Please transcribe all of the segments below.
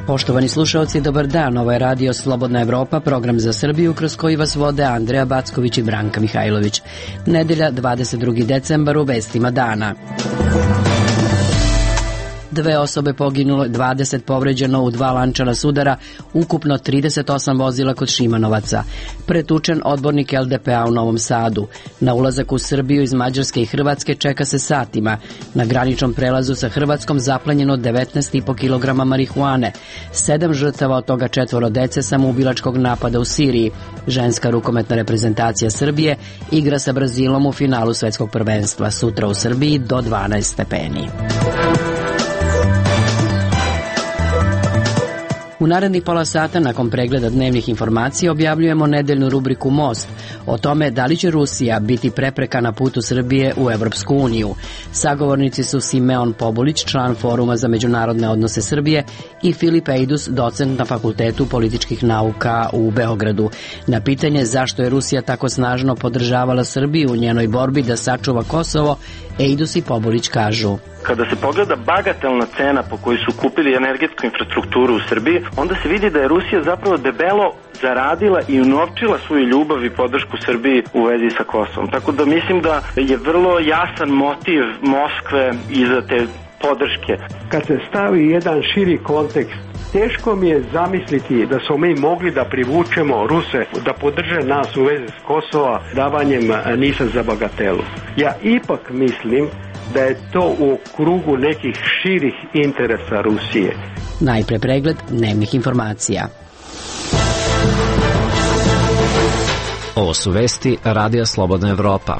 Poštovani slušalci, dobar dan. Ovo je radio Slobodna Evropa, program za Srbiju kroz koji vas vode Andreja Backović i Branka Mihajlović. Nedelja, 22. decembar, u vestima dana. 2 osobe poginulo, 20 povređeno u 2 lančana sudara, ukupno 38 vozila kod Šimanovaca. Pretučen odbornik LDP-a u Novom Sadu. Na ulazak u Srbiju iz Mađarske i Hrvatske čeka se satima. Na graničnom prelazu sa Hrvatskom zaplenjeno 19,5 kg marihuane. 7 žrtava, od toga 4 dece samoubilačkog napada u Siriji. Ženska rukometna reprezentacija Srbije igra sa Brazilom u finalu svetskog prvenstva. Sutra u Srbiji do 12 stepeni. U narednih pola sata, nakon pregleda dnevnih informacija, objavljujemo nedeljnu rubriku Most o tome da li će Rusija biti prepreka na putu Srbije u Evropsku uniju. Sagovornici su Simeon Pobulić, član Foruma za međunarodne odnose Srbije, i Filip Ejdus, docent na Fakultetu političkih nauka u Beogradu. Na pitanje zašto je Rusija tako snažno podržavala Srbiju u njenoj borbi da sačuva Kosovo, Ejdus i Pobulić kažu: kada se pogleda bagatelna cena po kojoj su kupili energetsku infrastrukturu u Srbiji, onda se vidi da je Rusija zapravo debelo zaradila i unovčila svoju ljubav i podršku Srbiji u vezi sa Kosovom. Tako da mislim da je vrlo jasan motiv Moskve iza te podrške. Kad se stavi jedan širi kontekst, teško mi je zamisliti da smo mi mogli da privučemo Ruse da podrže nas u vezi s Kosova davanjem NIS-a za bagatelu. Ja ipak mislim da je to u krugu nekih širih interesa Rusije. Najpre pregled dnevnih informacija. Ovo su vesti Radija Slobodna Evropa.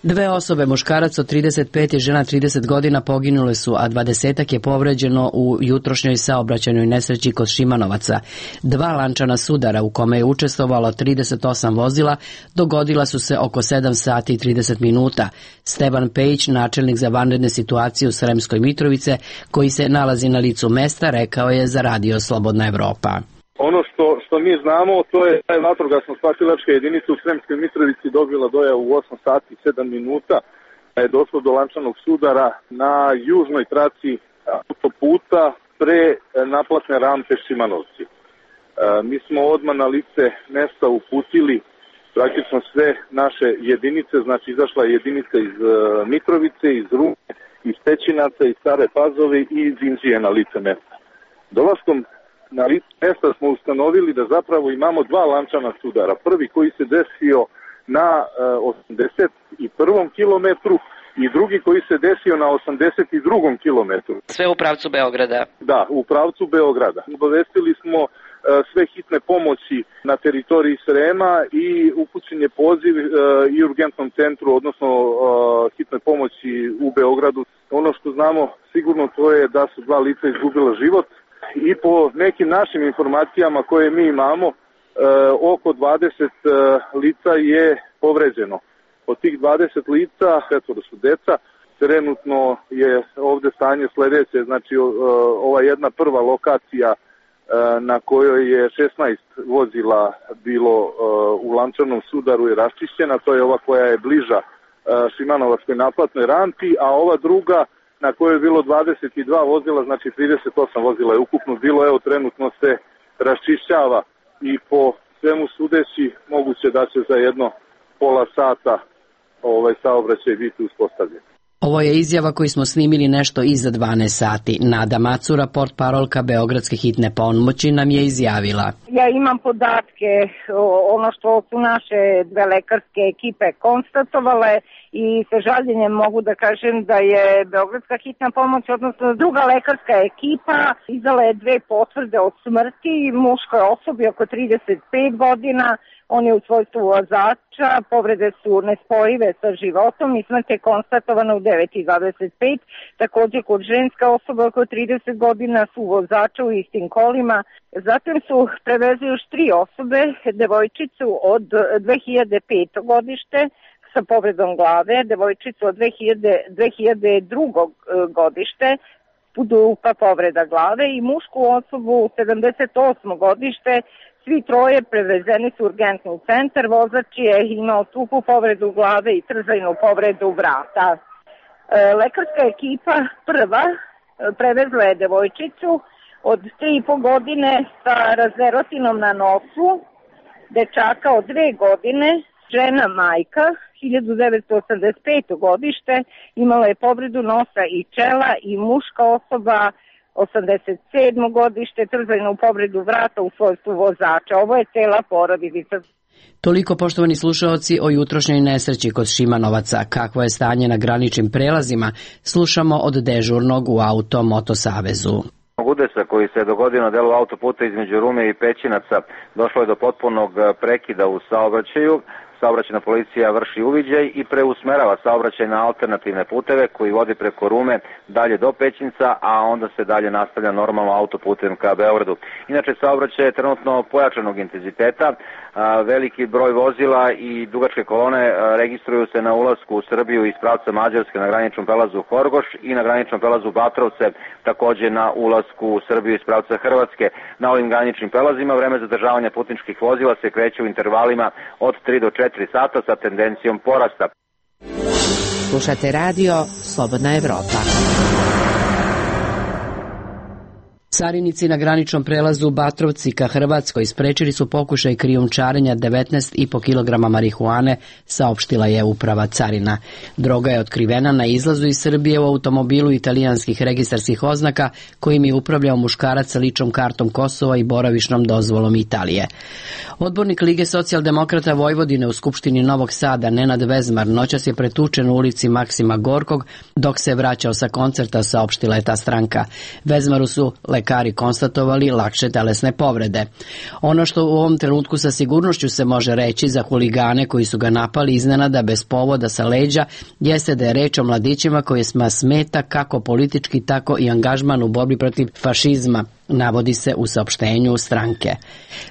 2 osobe, muškarac od 35 i žena 30 godina, poginule su, a 20-ak je povređeno u jutrošnjoj saobraćajnoj nesreći kod Šimanovaca. 2 lančana sudara u kome je učestvovalo 38 vozila dogodila su se oko 7 sati i 30 minuta. Stevan Pejić, načelnik za vanredne situacije u Sremskoj Mitrovice, koji se nalazi na licu mesta, rekao je za Radio Slobodna Evropa. Ono što mi znamo, to je da je vatrogasno-spasilačka jedinica u Sremskoj Mitrovici dobila dojavu u 8 sati i 7 minuta. Je došlo do lančanog sudara na južnoj traci autoputa pre naplatne rampe Šimanovci. Mi smo odmah na lice mesta uputili praktično sve naše jedinice, znači izašla je jedinica iz Mitrovice, iz Rume, iz Pećinaca, iz Stare Pazove i iz Inđije na lice mesta. Dolaskom na lice mesta smo ustanovili da zapravo imamo 2 lančana sudara. Prvi koji se desio na 81. kilometru i drugi koji se desio na 82. kilometru. Sve u pravcu Beograda? Da, u pravcu Beograda. Obavestili smo sve hitne pomoći na teritoriji Srema i upućen je poziv i urgentnom centru, odnosno hitne pomoći u Beogradu. Ono što znamo sigurno to je da su 2 lica izgubila život. I po nekim našim informacijama koje mi imamo, oko 20 lica je povređeno. Od tih 20 lica, 4 su deca, trenutno je ovde stanje sledeće, znači ova jedna prva lokacija na kojoj je 16 vozila bilo u lančanom sudaru je raščišćena, to je ova koja je bliža Šimanovačkoj naplatnoj rampi, a ova druga na kojoj je bilo 22 vozila, znači 38 vozila je ukupno bilo, evo trenutno se raščišćava i po svemu sudeći moguće da će za jedno pola sata saobraćaj biti uspostavljen. Ovo je izjava koju smo snimili nešto iza 12 sati. Nada Macura, portparolka Beogradske hitne pomoći, nam je izjavila: ja imam podatke, ono što su naše 2 lekarske ekipe konstatovale, i sa žaljenjem mogu da kažem da je Beogradska hitna pomoć, odnosno druga lekarska ekipa, izdala je 2 potvrde od smrti muškoj osobi oko 35 godina. On je u svojstvu vozača, povrede su nespojive sa životom i smrt je konstatovana u 9:25. Takođe kod ženska osoba oko 30 godina su vozača u istim kolima. Zatim su prevezli još 3 osobe, devojčicu od 2005. godište sa povredom glave, devojčicu od 2002. godište, dupa povreda glave, i mušku osobu 78. godište. Svi 3 prevezeni su u urgentni centar. Vozač je imao tupu povredu glave i trzajnu povredu vrata. Lekarska ekipa prva prevezla je devojčicu od 3,5 godine sa razverotinom na nosu, dečaka od 2 godine, žena majka, 1985. godište, imala je povredu nosa i čela i muška osoba, 87. godište, trzajnu povredu vrata u svojstvu vozača. Ovo je cela porodica. Toliko, poštovani slušaoci, o jutrošnjoj nesreći kod Šimanovaca. Kakvo je stanje na graničnim prelazima, slušamo od dežurnog u Auto-Moto Savezu. Udesa koji se dogodio na delu autoputa između Rume i Pećinaca došlo je do potpunog prekida u saobraćaju. Saobraćajna policija vrši uviđaj i preusmerava saobraćaj na alternativne puteve koji vodi preko Rume dalje do Pećinca, a onda se dalje nastavlja normalno autoputem ka Beogradu. Inače, saobraćaj je trenutno pojačanog intenziteta, veliki broj vozila i dugačke kolone registruju se na ulasku u Srbiju iz pravca Mađarske na graničnom prelazu Horgoš i na graničnom prelazu Batrovce, takođe na ulasku u Srbiju iz pravca Hrvatske. Na ovim graničnim prelazima vreme zadržavanja putničkih vozila se kreće u intervalima od 3 do 4 sata sa tendencijom porasta. Slušate radio Slobodna Evropa. Carinici na graničnom prelazu Batrovci ka Hrvatskoj sprečili su pokušaj krijumčarenja 19,5 kg marihuane, saopštila je uprava carina. Droga je otkrivena na izlazu iz Srbije u automobilu italijanskih registarskih oznaka kojim je upravljao muškarac sa ličnom kartom Kosova i boravišnom dozvolom Italije. Odbornik Lige socijaldemokrata Vojvodine u Skupštini Novog Sada Nenad Vezmar noćas je pretučen u ulici Maksima Gorkog dok se vraćao sa koncerta, saopštila je ta stranka. Vezmaru su lekari konstatovali lakše telesne povrede. Ono što u ovom trenutku sa sigurnošću se može reći za huligane koji su ga napali iznenada bez povoda sa leđa jeste da je reč o mladićima kojima smeta kako politički tako i angažman u borbi protiv fašizma, navodi se u saopštenju stranke.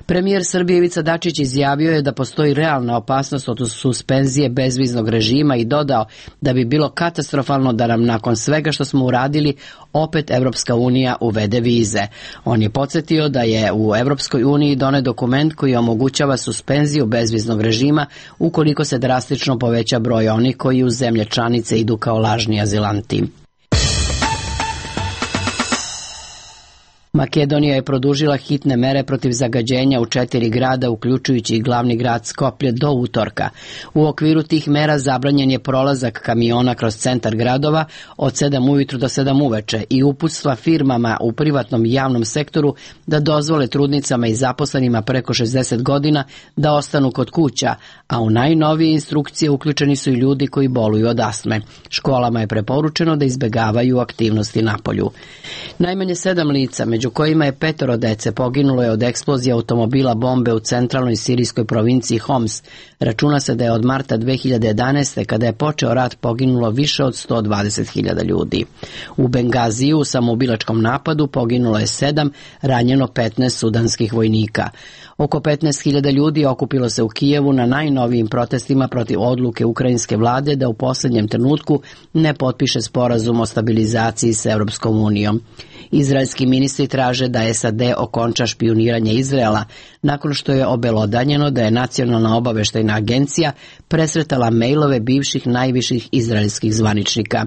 Premijer Srbije Ivica Dačić izjavio je da postoji realna opasnost od suspenzije bezviznog režima i dodao da bi bilo katastrofalno da nam nakon svega što smo uradili opet Evropska unija uvede vize. On je podsjetio da je u Evropskoj uniji donet dokument koji omogućava suspenziju bezviznog režima ukoliko se drastično poveća broj onih koji u zemlje članice idu kao lažni azilanti. Makedonija je produžila hitne mere protiv zagađenja u 4 grada, uključujući i glavni grad Skoplje, do utorka. U okviru tih mera zabranjen je prolazak kamiona kroz centar gradova od 7 ujutru do 7 uveče i uputstva firmama u privatnom i javnom sektoru da dozvole trudnicama i zaposlenima preko 60 godina da ostanu kod kuća, a u najnovije instrukcije uključeni su i ljudi koji boluju od astme. Školama je preporučeno da izbegavaju aktivnosti napolju. Najmanje 7 lica, među kojima je 5 dece, poginulo je od eksplozije automobila bombe u centralnoj sirijskoj provinciji Homs. Računa se da je od marta 2011. kada je počeo rat poginulo više od 120.000 ljudi. U Bengaziju u samoubilačkom napadu poginulo je 7, ranjeno 15 sudanskih vojnika. Oko 15.000 ljudi okupilo se u Kijevu na najnovijim protestima protiv odluke ukrajinske vlade da u posljednjem trenutku ne potpiše sporazum o stabilizaciji s Europskom unijom. Izraelski ministri traže da SAD okonča špijuniranje Izraela nakon što je obelodanjeno da je Nacionalna obaveštajna agencija presretala mejlove bivših najviših izraelskih zvaničnika.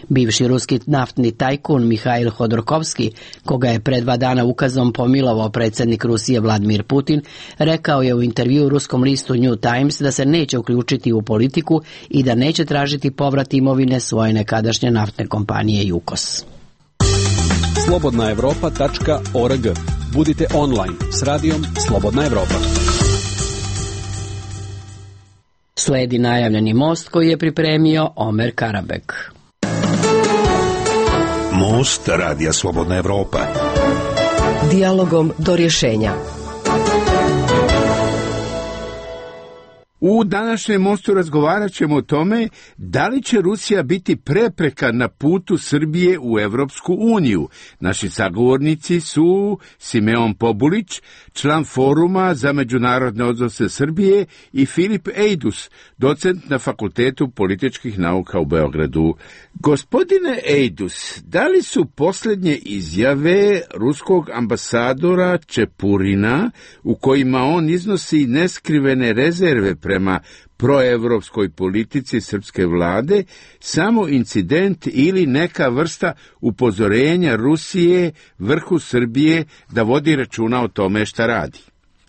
Bivši ruski naftni tajkun Mihail Hodorkovski, koga je pre 2 dana ukazom pomilovao predsjednik Rusije Vladimir Putin, rekao je u intervjuu ruskom listu New Times da se neće uključiti u politiku i da neće tražiti povrat imovine svoje nekadašnje naftne kompanije Jukos. slobodnaevropa.org. Budite online s radijom Slobodna Evropa. Sledi najavljeni most koji je pripremio Omer Karabek. Most radija Slobodna Evropa. Dijalogom do rješenja. U današnjem mostu razgovarat ćemo o tome da li će Rusija biti prepreka na putu Srbije u Evropsku uniju. Naši sagovornici su Simeon Pobulić, član Foruma za međunarodne odnose Srbije, i Filip Ejdus, docent na Fakultetu političkih nauka u Beogradu. Gospodine Ejdus, da li su posljednje izjave ruskog ambasadora Čepurina, u kojima on iznosi neskrivene rezerve prema prema proevropskoj politici srpske vlade samo incident ili neka vrsta upozorenja Rusije vrhu Srbije da vodi računa o tome šta radi?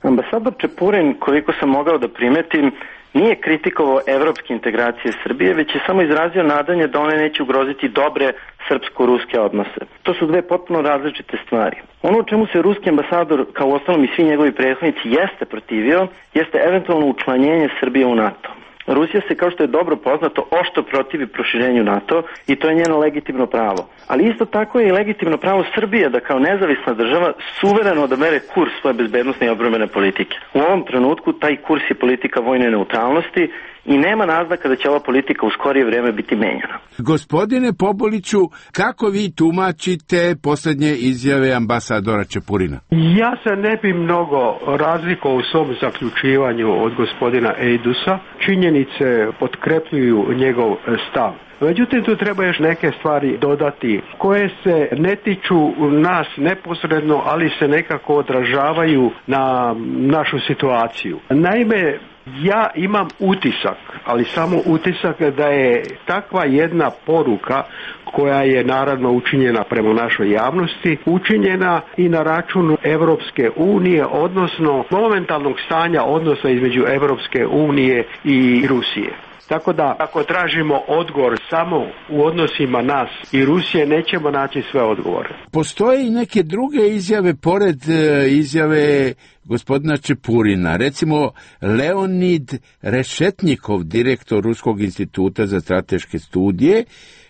Ambasador Čepurin, koliko sam mogao da primetim, nije kritikovao evropske integracije Srbije, već je samo izrazio nadanje da one neće ugroziti dobre srpsko-ruske odnose. To su dve potpuno različite stvari. Ono u čemu se ruski ambasador, kao uostalom i svi njegovi prethodnici, jeste protivio, jeste eventualno učlanjenje Srbije u NATO. Rusija se, kao što je dobro poznato, oštro protivi proširenju NATO i to je njeno legitimno pravo. Ali isto tako je i legitimno pravo Srbije da kao nezavisna država suvereno odabere kurs svoje bezbednosne i odbrambene politike. U ovom trenutku taj kurs je politika vojne neutralnosti i nema naznaka da će ova politika u skorije vreme biti menjana. Gospodine Pobuliću, kako vi tumačite posljednje izjave ambasadora Čepurina? Ja se ne bi mnogo razlikovao u svom zaključivanju od gospodina Eidusa. Činjenice potkrepljuju njegov stav. Međutim, tu treba još neke stvari dodati koje se ne tiču nas neposredno, ali se nekako odražavaju na našu situaciju. Naime, ja imam utisak, ali samo utisak da je takva jedna poruka koja je naravno učinjena prema našoj javnosti, učinjena i na račun Evropske unije, odnosno momentalnog stanja odnosa između Evropske unije i Rusije. Tako da, ako tražimo odgovor samo u odnosima nas i Rusije, nećemo naći sve odgovore. Postoje i neke druge izjave, pored izjave gospodina Čepurina. Recimo, Leonid Rešetnikov, direktor Ruskog instituta za strateške studije,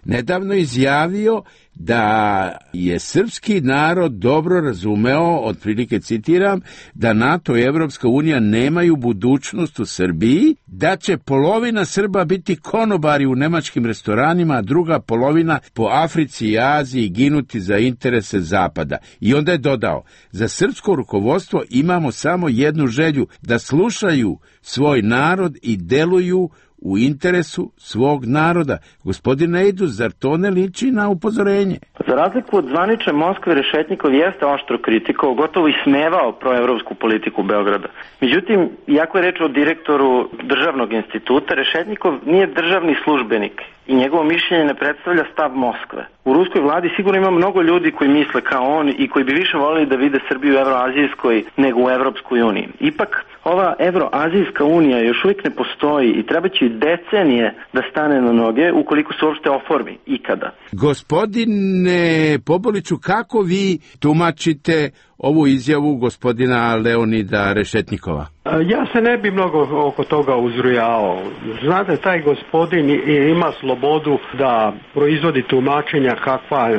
nedavno izjavio da je srpski narod dobro razumeo, otprilike citiram, da NATO i Evropska unija nemaju budućnost u Srbiji, da će polovina Srba biti konobari u nemačkim restoranima, a druga polovina po Africi i Aziji ginuti za interese Zapada. I onda je dodao, za srpsko rukovodstvo imamo samo jednu želju, da slušaju svoj narod i deluju u interesu svog naroda. Gospodine Eidus, zar to ne liči na upozorenje? Za razliku od zvanične Moskve, Rešetnikov jeste oštro kritikovao, gotovo i smevao proevropsku politiku Beograda. Međutim, iako je reč o direktoru državnog instituta, Rešetnikov nije državni službenik i njegovo mišljenje ne predstavlja stav Moskve. U ruskoj vladi sigurno ima mnogo ljudi koji misle kao on i koji bi više voleli da vide Srbiju u Evroazijskoj nego u Evropskoj uniji. Ipak, ova Evroazijska unija još uvijek ne postoji i treba će decenije da stane na noge ukoliko se uopšte oformi ikada. Gospodine Pobuliću, kako vi tumačite ovu izjavu gospodina Leonida Rešetnikova? Ja se ne bi mnogo oko toga uzrujao. Znate, taj gospodin ima slobodu da proizvodi tumačenja kakva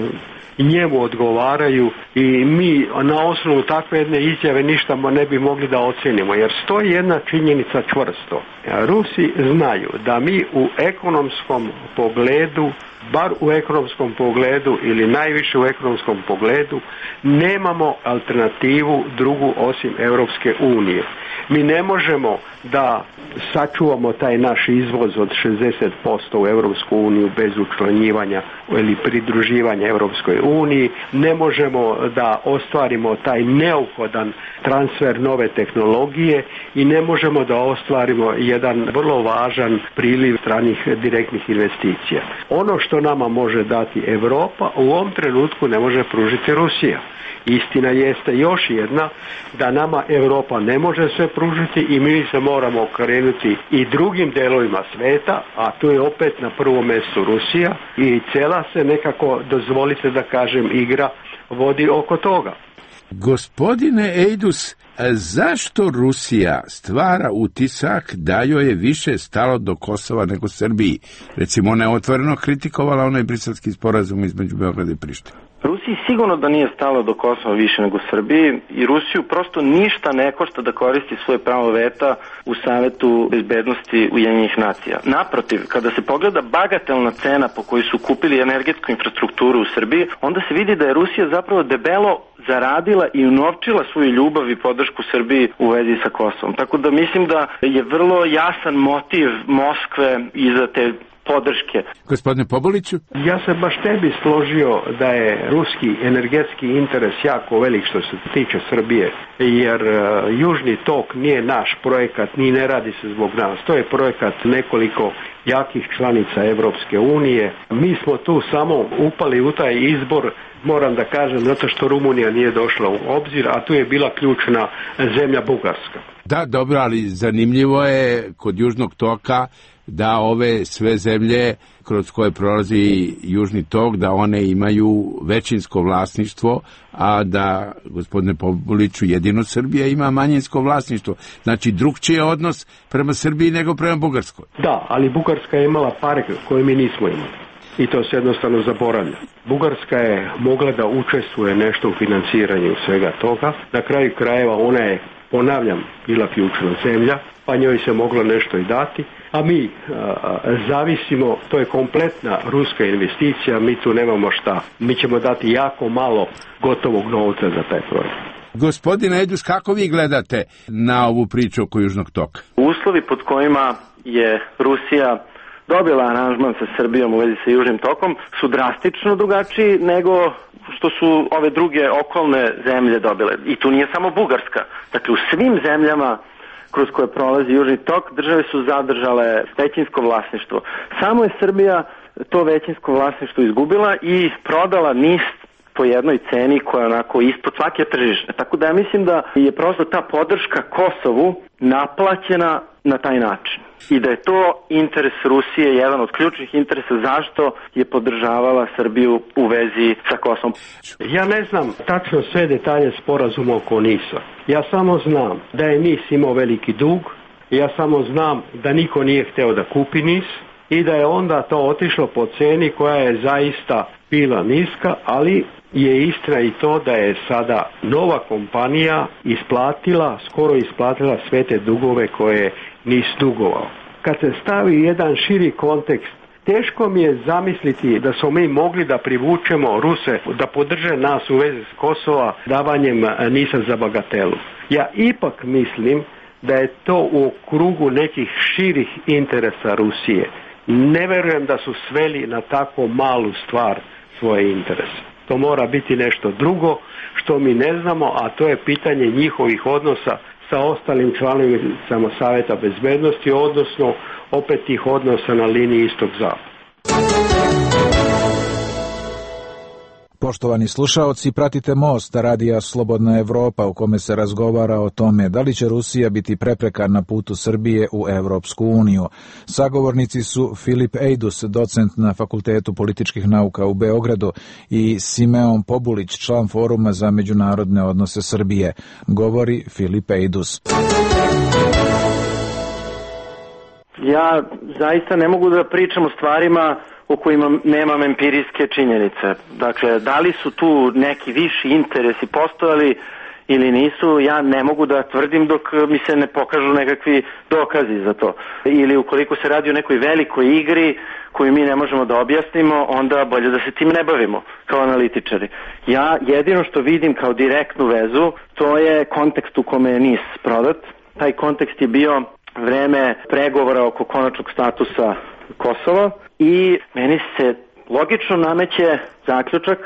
njemu odgovaraju i mi na osnovu takve jedne izjave ništa ne bi mogli da ocenimo, jer stoji jedna činjenica čvrsto. Rusi znaju da mi u ekonomskom pogledu, bar u ekonomskom pogledu ili najviše u ekonomskom pogledu, nemamo alternativu drugu osim Europske unije. Mi ne možemo da sačuvamo taj naš izvoz od 60% u Europsku uniju bez učlanjivanja ili pridruživanja Europskoj uniji. Ne možemo da ostvarimo taj neophodan transfer nove tehnologije i ne možemo da ostvarimo jedan vrlo važan priliv stranih direktnih investicija. Ono što nama može dati Europa u ovom trenutku ne može pružiti Rusija. Istina jeste još jedna, da nama Europa ne može sve pružiti i mi se moramo okrenuti i drugim delovima sveta, a tu je opet na prvom mjestu Rusija i cela se nekako, dozvolite da kažem, igra vodi oko toga. Gospodine Eidus, zašto Rusija stvara utisak da joj je više stalo do Kosova nego Srbiji? Recimo, ona je otvoreno kritikovala onaj briselski sporazum između Beograda i Prištine. Rusiji sigurno da nije stalo do Kosova više nego Srbiji i Rusiju prosto ništa ne košta da koristi svoje pravo veta u Savetu bezbednosti Ujedinjenih nacija. Naprotiv, kada se pogleda bagatelna cena po kojoj su kupili energetsku infrastrukturu u Srbiji, onda se vidi da je Rusija zapravo debelo zaradila i unovčila svoju ljubav i podršku Srbiji u vezi sa Kosovom. Tako da mislim da je vrlo jasan motiv Moskve iza te podrške. Gospodine Pobuliću? Ja se baš ne bi složio da je ruski energetski interes jako velik što se tiče Srbije, jer Južni tok nije naš projekat, ni ne radi se zbog nas. To je projekat nekoliko jakih članica Evropske unije. Mi smo tu samo upali u taj izbor, moram da kažem, zato što Rumunija nije došla u obzir, a tu je bila ključna zemlja Bugarska. Da, dobro, ali zanimljivo je kod Južnog toka da ove sve zemlje kroz koje prolazi Južni tok, da one imaju većinsko vlasništvo, a da, gospodine Pobuliću, jedino Srbija ima manjinsko vlasništvo. Znači, drugčiji je odnos prema Srbiji nego prema Bugarskoj. Da, ali Bugarska je imala pare koje mi nismo imali. I to se jednostavno zaboravlja. Bugarska je mogla da učestvuje nešto u financiranju svega toga. Na kraju krajeva ona je, ponavljam, bila ključna zemlja, pa njoj se moglo nešto i dati, a mi zavisimo, to je kompletna ruska investicija, mi tu nemamo šta. Mi ćemo dati jako malo gotovog novca za taj projekt. Gospodine Ejdus, kako vi gledate na ovu priču oko Južnog toka? Uslovi pod kojima je Rusija dobila aranžman sa Srbijom u vezi sa Južnim tokom su drastično drugačiji nego što su ove druge okolne zemlje dobile. I tu nije samo Bugarska. Dakle, u svim zemljama kroz koje prolazi Južni tok države su zadržale većinsko vlasništvo. Samo je Srbija to većinsko vlasništvo izgubila i prodala NIS po jednoj ceni koja je onako ispod svake tržišne. Tako da ja mislim da je prosto ta podrška Kosovu naplaćena na taj način. I da je to interes Rusije, jedan od ključnih interesa zašto je podržavala Srbiju u vezi sa Kosovom. Ja ne znam tačno sve detalje sporazuma oko NIS-a. Ja samo znam da je NIS imao veliki dug, ja samo znam da niko nije hteo da kupi NIS i da je onda to otišlo po ceni koja je zaista bila niska, ali je istina i to da je sada nova kompanija skoro isplatila sve te dugove koje NIS dugovao. Kad se stavi jedan širi kontekst, teško mi je zamisliti da smo mi mogli da privučemo Ruse da podrže nas u vezi s Kosova davanjem NIS-a za bagatelu. Ja ipak mislim da je to u krugu nekih širih interesa Rusije. Ne verujem da su sveli na tako malu stvar svoje interese. To mora biti nešto drugo što mi ne znamo, a to je pitanje njihovih odnosa sa ostalim članovicama Saveta bezbednosti, odnosno opet tih odnosa na liniji istog-zapad. Poštovani slušaoci, pratite Most radija Slobodna Evropa u kome se razgovara o tome da li će Rusija biti prepreka na putu Srbije u Evropsku uniju. Sagovornici su Filip Ejdus, docent na Fakultetu političkih nauka u Beogradu, i Simeon Pobulić, član Foruma za međunarodne odnose Srbije. Govori Filip Ejdus. Ja zaista ne mogu da pričam o stvarima o kojima nemam empirijske činjenice. Dakle, da li su tu neki viši interesi postojali ili nisu, ja ne mogu da tvrdim dok mi se ne pokažu nekakvi dokazi za to. Ili ukoliko se radi o nekoj velikoj igri koju mi ne možemo da objasnimo, onda bolje da se tim ne bavimo kao analitičari. Ja jedino što vidim kao direktnu vezu, to je kontekst u kome je NIS prodat. Taj kontekst je bio vreme pregovora oko konačnog statusa Kosova i meni se logično nameće zaključak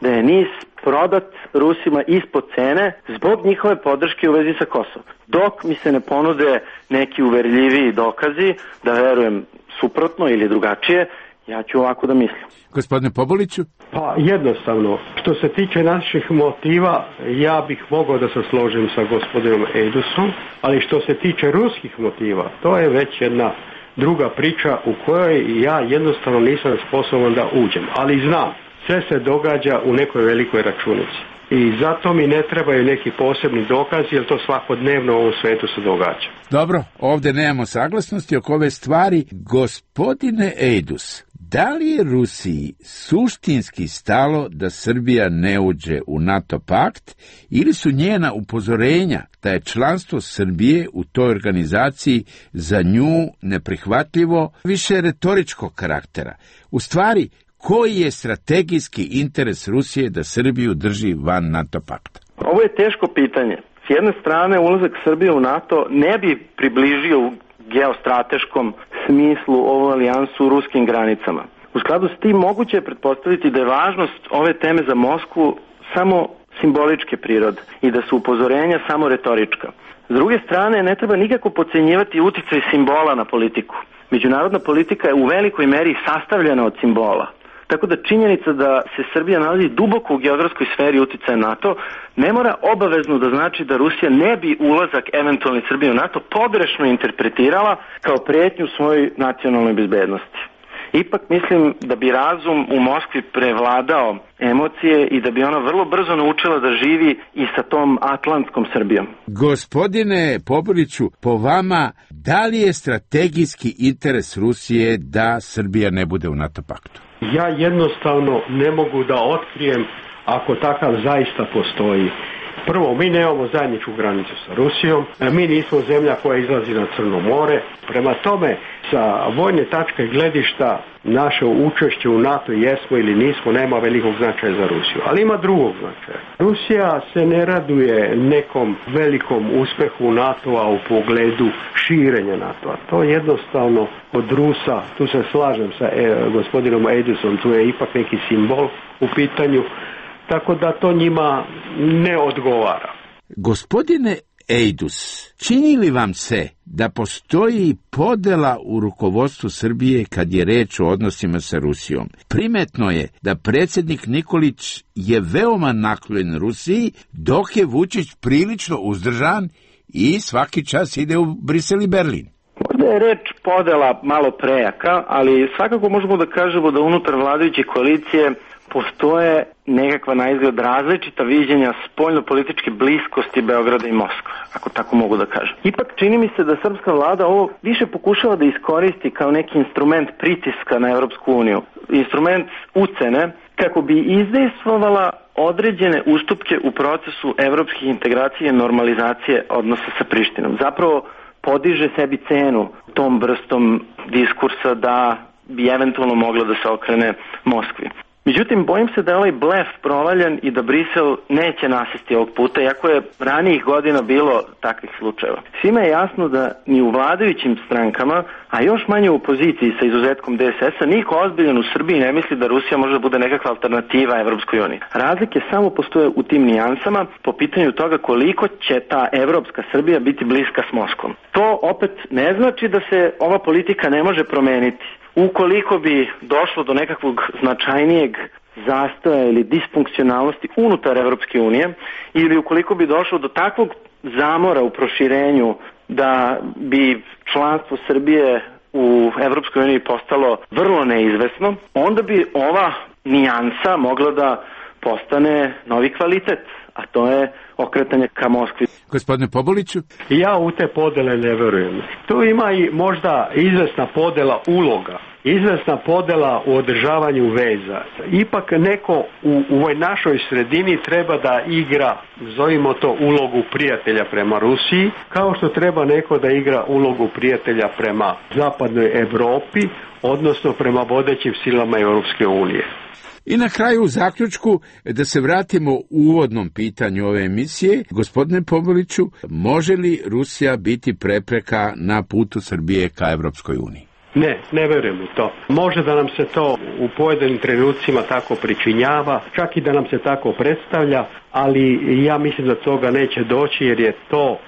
da je NIS prodat Rusima ispod cene zbog njihove podrške u vezi sa Kosovom. Dok mi se ne ponude neki uverljiviji dokazi da verujem suprotno ili drugačije, ja ću ovako da mislim. Gospodine Pobuliću? Pa jednostavno, što se tiče naših motiva, ja bih mogao da se složim sa gospodinom Ejdusom, ali što se tiče ruskih motiva, to je već jedna druga priča u kojoj ja jednostavno nisam sposoban da uđem. Ali znam, sve se događa u nekoj velikoj računici. I zato mi ne trebaju neki posebni dokazi, jer to svakodnevno u ovom svetu se događa. Dobro, ovdje nemamo saglasnosti oko ove stvari. Gospodine Ejdus, da li je Rusiji suštinski stalo da Srbija ne uđe u NATO pakt ili su njena upozorenja da je članstvo Srbije u toj organizaciji za nju neprihvatljivo više retoričkog karaktera? U stvari, koji je strategijski interes Rusije da Srbiju drži van NATO pakta? Ovo je teško pitanje. S jedne strane, ulazak Srbije u NATO ne bi približio geostrateškom smislu ovu alijansu u ruskim granicama. U skladu s tim moguće je pretpostaviti da je važnost ove teme za Moskvu samo simboličke prirode i da su upozorenja samo retorička. S druge strane, ne treba nikako podcenjivati uticaj simbola na politiku. Međunarodna politika je u velikoj meri sastavljena od simbola. Tako da činjenica da se Srbija nalazi duboko u geografskoj sferi uticaja NATO ne mora obavezno da znači da Rusija ne bi ulazak eventualni Srbije u NATO pogrešno interpretirala kao pretnju svojoj nacionalnoj bezbednosti. Ipak mislim da bi razum u Moskvi prevladao emocije i da bi ona vrlo brzo naučila da živi i sa tom atlantskom Srbijom. Gospodine Popoviću, po vama, da li je strategijski interes Rusije da Srbija ne bude u NATO paktu? Ja jednostavno ne mogu da otkrijem ako takav zaista postoji. Prvo, mi nemamo zajedničku granicu sa Rusijom, mi nismo zemlja koja izlazi na Crno more. Prema tome, sa vojne tačke gledišta, naše učešće u NATO jesmo ili nismo, nema velikog značaja za Rusiju. Ali ima drugog značaja. Rusija se ne raduje nekom velikom uspehu NATO-a u pogledu širenja NATO-a. To jednostavno od Rusa, tu se slažem sa gospodinom Eidusom, tu je ipak neki simbol u pitanju, tako da to njima ne odgovara. Gospodine Eidus, čini li vam se da postoji podela u rukovodstvu Srbije kad je reč o odnosima sa Rusijom? Primetno je da predsjednik Nikolić je veoma naklonjen Rusiji, dok je Vučić prilično uzdržan i svaki čas ide u Brisel i Berlin. Možda je reč podela malo prejaka, ali svakako možemo da kažemo da unutar vladajuće koalicije postoje nekakva naizgled različita viđenja spoljno-političke bliskosti Beograda i Moskve, ako tako mogu da kažem. Ipak čini mi se da srpska vlada ovo više pokušava da iskoristi kao neki instrument pritiska na Evropsku uniju, instrument ucene, kako bi izdejstvovala određene ustupke u procesu evropskih integracija i normalizacije odnosa sa Prištinom. Zapravo podiže sebi cenu tom vrstom diskursa da bi eventualno mogla da se okrene Moskvi. Međutim, bojim se da je ovaj blef provaljen i da Brisel neće nasesti ovog puta, iako je ranijih godina bilo takvih slučajeva. Svima je jasno da ni u vladajućim strankama, a još manje u opoziciji sa izuzetkom DSS-a, niko ozbiljan u Srbiji ne misli da Rusija može da bude nekakva alternativa Evropskoj uniji. Razlike samo postoje u tim nijansama po pitanju toga koliko će ta evropska Srbija biti bliska s Moskvom. To opet ne znači da se ova politika ne može promeniti. Ukoliko bi došlo do nekakvog značajnijeg zastoja ili disfunkcionalnosti unutar Evropske unije ili ukoliko bi došlo do takvog zamora u proširenju da bi članstvo Srbije u Evropskoj uniji postalo vrlo neizvesno, onda bi ova nijansa mogla da postane novi kvalitet, a to je okretanje ka Moskvi. Gospodine Popoliću? Ja u te podele ne verujem. Tu ima i možda izvesna podela uloga, izvesna podela u održavanju veza. Ipak neko u ovoj našoj sredini treba da igra, zovimo to, ulogu prijatelja prema Rusiji, kao što treba neko da igra ulogu prijatelja prema zapadnoj Evropi, odnosno prema vodećim silama Europske unije. I na kraju u zaključku da se vratimo u uvodnom pitanju ove emisije. Gospodine Popoliću, može li Rusija biti prepreka na putu Srbije ka Evropskoj uniji? Ne verujem u to. Može da nam se to u pojedinim trenucima tako pričinjava, čak i da nam se tako predstavlja, ali ja mislim da toga neće doći jer je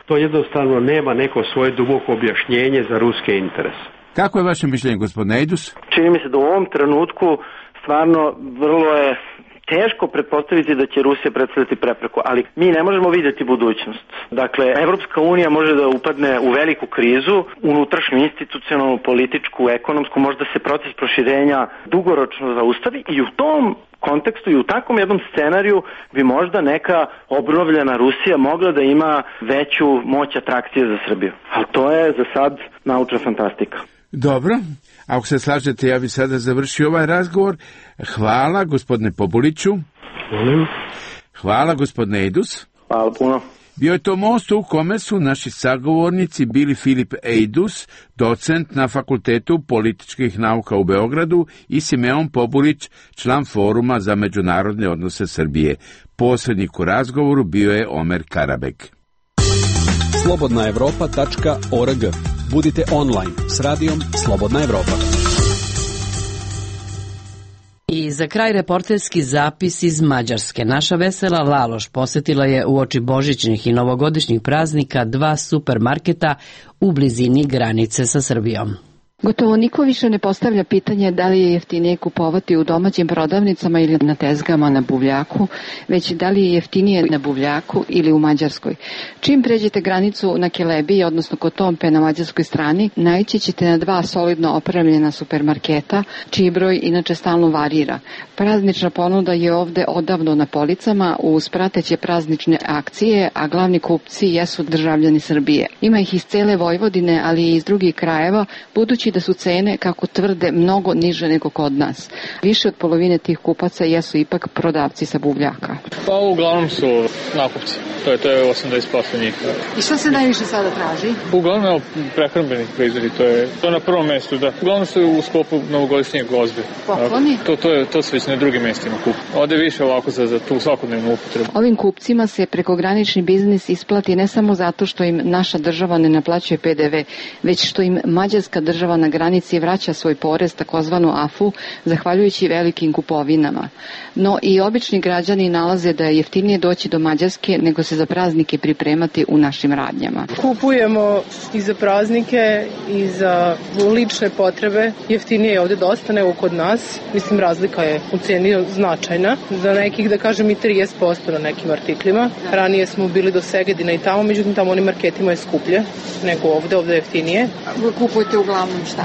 to jednostavno nema neko svoje duboko objašnjenje za ruske interese. Kako je vaše mišljenje, gospodine Eidus? Čini mi se da u ovom trenutku stvarno vrlo je teško pretpostaviti da će Rusija predstavljati prepreku, ali mi ne možemo vidjeti budućnost. Dakle, Evropska unija može da upadne u veliku krizu, unutrašnju, institucionalnu, političku, ekonomsku, možda se proces proširenja dugoročno zaustavi i u tom kontekstu i u takvom jednom scenariju bi možda neka obnovljena Rusija mogla da ima veću moć atrakcije za Srbiju. Ali to je za sad naučna fantastika. Dobro, ako se slažete, ja bih sada završio ovaj razgovor. Hvala, gospodine Popoliću. Hvala, gospodine Eidus. Hvala puno. Bio je to most u kome su naši sagovornici bili Filip Eidus, docent na Fakultetu političkih nauka u Beogradu, i Simeon Pobulić, član Foruma za međunarodne odnose Srbije. Posrednik u razgovoru bio je Omer Karabek. Slobodnaevropa.org. Budite online s radijom Slobodna Evropa. I za kraj reporterski zapis iz Mađarske. Naša Vesela Laloš posetila je uoči božićnih i novogodišnjih praznika 2 supermarketa u blizini granice sa Srbijom. Gotovo niko više ne postavlja pitanje da li je jeftinije kupovati u domaćim prodavnicama ili na tezgama na buvljaku, već da li je jeftinije na buvljaku ili u Mađarskoj. Čim pređete granicu na Kelebiji, odnosno kod Tompe na mađarskoj strani, naići ćete na 2 solidno opremljena supermarketa, čiji broj inače stalno varira. Praznična ponuda je ovde odavno na policama uz prateće praznične akcije, a glavni kupci jesu državljani Srbije. Ima ih iz cele Vojvodine, ali i iz drugih krajeva, budući da su cene, kako tvrde, mnogo niže nego kod nas. Više od polovine tih kupaca jesu ipak prodavci sa buvljaka. Pa uglavnom su nakupci. To je 80% njih. I što se najviše sada traži? Uglavnom prehrambeni proizvodi, to je na prvom mestu, da. Uglavnom su u sklopu novogodišnjeg gozbe. Pokloni? To se već na drugim mestima kupu. Ode više ovako za tu svakodnevnu upotrebu. Ovim kupcima se prekogranični biznis isplati ne samo zato što im naša država ne naplaćuje PDV, već što im mađarska država na granici vraća svoj porez, takozvanu AFU, zahvaljujući velikim kupovinama. No i obični građani nalaze da je jeftinije doći do Mađarske nego se za praznike pripremati u našim radnjama. Kupujemo i za praznike i za lične potrebe. Jeftinije je ovde dosta nego kod nas. Mislim, razlika je u ceni značajna. Za nekih, da kažem, i 30% na nekim artiklima. Ranije smo bili do Segedina i tamo, međutim tamo onim marketima je skuplje nego ovde je jeftinije. Vi kupujete uglavnom šta?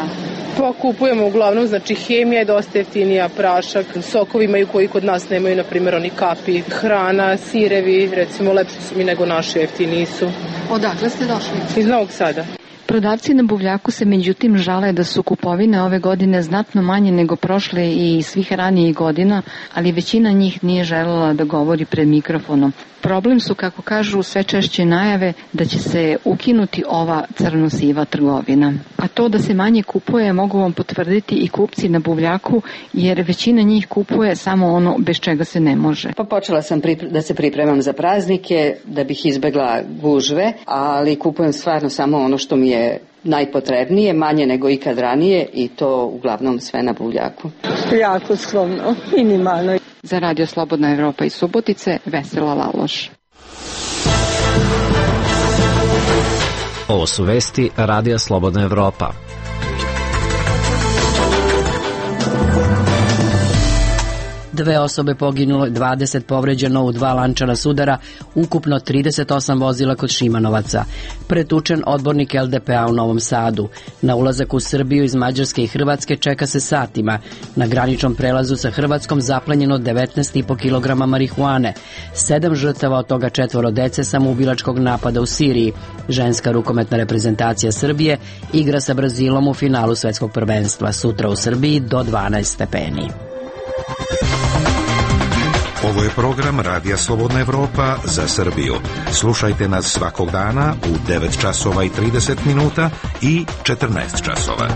Pa kupujemo uglavnom, znači hemija je dosta jeftinija, prašak, sokovi imaju koji kod nas nemaju, na primjer oni kapi, hrana, sirevi, recimo lepši su mi nego naši, jeftiniji su. Odakle ste došli? Iz Novog Sada. Prodavci na buvljaku se međutim žale da su kupovine ove godine znatno manje nego prošle i svih ranijih godina, ali većina njih nije želela da govori pred mikrofonom. Problem su, kako kažu, sve češće najave da će se ukinuti ova crno-siva trgovina. A to da se manje kupuje mogu vam potvrditi i kupci na buvljaku, jer većina njih kupuje samo ono bez čega se ne može. Pa počela sam da se pripremam za praznike, da bih izbegla gužve, ali kupujem stvarno samo ono što mi je najpotrebnije, manje nego ikad ranije, i to uglavnom sve na buvljaku. Jako skromno, minimalno. Za Radio Slobodna Evropa iz Subotice, Vesela Laloš. Ovo su vesti Radija Slobodna Evropa. Dve osobe poginulo, 20 povređeno u 2 lančana sudara, ukupno 38 vozila kod Šimanovaca. Pretučen odbornik LDP-a u Novom Sadu. Na ulazak u Srbiju iz Mađarske i Hrvatske čeka se satima. Na graničnom prelazu sa Hrvatskom zaplenjeno 19,5 kg marihuane. 7 žrtava, od toga 4 dece samoubilačkog napada u Siriji. Ženska rukometna reprezentacija Srbije igra sa Brazilom u finalu svetskog prvenstva. Sutra u Srbiji do 12 stepeni. Ovo je program Radija Slobodna Evropa za Srbiju. Slušajte nas svakog dana u 9 časova i 30 minuta i 14 časova.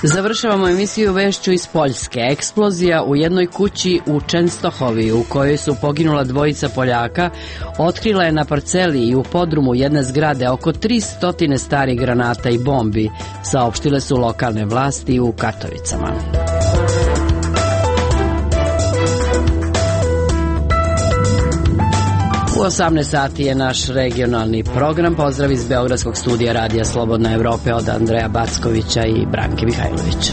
Završavamo emisiju vešću iz Poljske. Eksplozija u jednoj kući u Čenstohovi, u kojoj su poginula 2 Poljaka, otkrila je na parceli i u podrumu jedne zgrade oko 300 starih granata i bombi, saopštile su lokalne vlasti u Katovicama. U 18 sati je naš regionalni program. Pozdrav iz Beogradskog studija Radija Slobodna Evrope od Andreja Backovića i Branke Mihajlović.